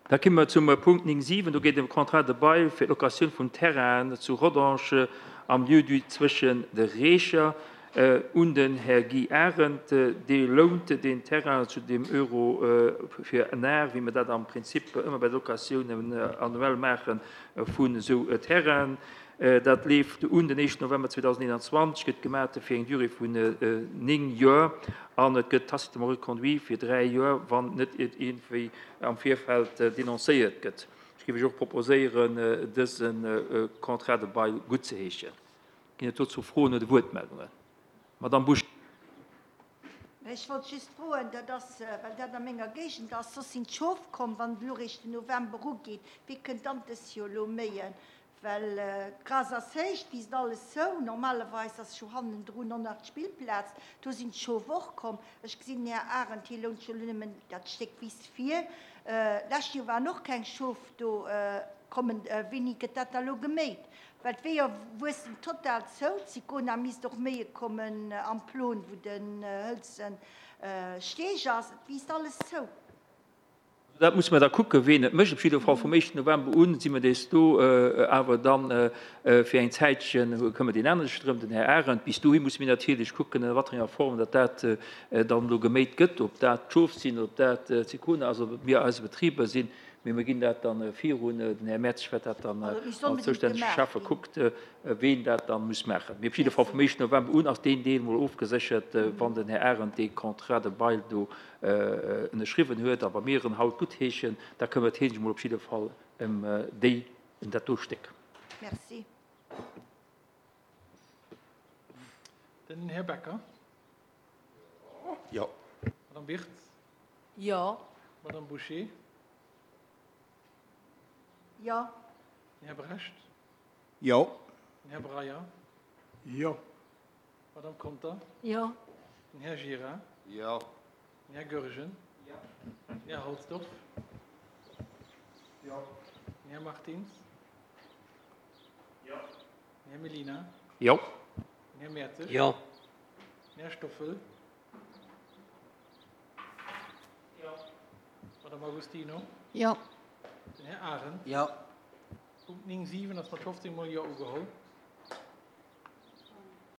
Da komme mer zum Punkt 9, 7. Do geet et ëm e Contrat de bail fir d'Locatioun vun Terrainen zu Rodange am Lieu-dit Zwëschen de Reecher un den Här Guy Arendt. Dee lount deen Terrain zu dem Euro fir en Ar, wéi mer dat am Prinzip ëmmer bei de Locatiounen annuell maache vun esou Terrainen. Dat leeft un den éischten November 2021, gëtt gemaat fir eng Durée vun 9 Joer an et gëtt tacitement reconduit fir 3 Joer, wann net iergendwéi am Virfeld denoncéiert gëtt. Ech géif Iech och proposéieren, dëse Contrat de bail guttzeheeschen. Ginn et dozou Froen oder Wuertmeldungen? Madamm Busch. Ech wollt just froen, dat ass, well dat a menger Géigend ass, soss sinn d'Schof komm, wann et elo réischt den November ugeet, wee kënnt dann dës Joer elo méien? Well d'Gras ass héich, d'Wiisst alles zou, normalerweis ass jo hannendrun och nach d'Spillplaz, do sinn d'Schof och komm. Ech gesinn den Här Arendt, hie lount jo elo nëmmen dat Stéck Wiss vir. D'lescht Joer waren och keng Schof do kommen. Wéini gëtt dat da elo geméit? Well d'Weeër wuessen total zou. D'Sicona misst och méie kommen am Plon, wou den hëlze Steeg ass. Et wiisst alles zou. Dat musse mer da kucken, ween et mécht. Op jidde Fall vum éischten November un si mer dees do, awer dann fir eng Zäitchen këmmert een anere sech drëm, den Här Arendt. Bis dohi musse mir natierlech kucken, a wat fir enger Form datt dat dann elo geméit gëtt, ob dat d'Schof sinn, ob dat d'Sicona ass, ob et mir eise Betriber sinn. Mee mir ginn dat dann virun. Den Här Mertz wäert dat dann als zoustännege Schäffe kuckt, ween dat dann muss maachen. Mee op jidde Fall vum éischten November un ass deen Deel mol ofgeséchert, wann den Här Arendt dee Contrat de bail do ënnerschriwwen huet. A wa mir en haut guttheeschen, da këmmert hie sech mol op jidde Fall ëm déi, ëm dat do Stéck. Merci. Den Här Becker. Jo. Madame Wirtz. Jo. Madame Bouché. Jo. Den Här Brecht. Jo. Den Här Breyer. Jo. Madame Conter. Jo. Den Här Gira. Jo. Den Här Goergen. Jo. Den Här Halsdorf. Jo. Den Här Martins. Jo. Den Här Mellina. Jo. Den Här Mertzig. Jo. Den Här Stoffel. Jo. Madame Agostino. Jo. Den Här Arendt. Jo. Punkt 9, 7 ass mat 15 mol Jo ugeholl.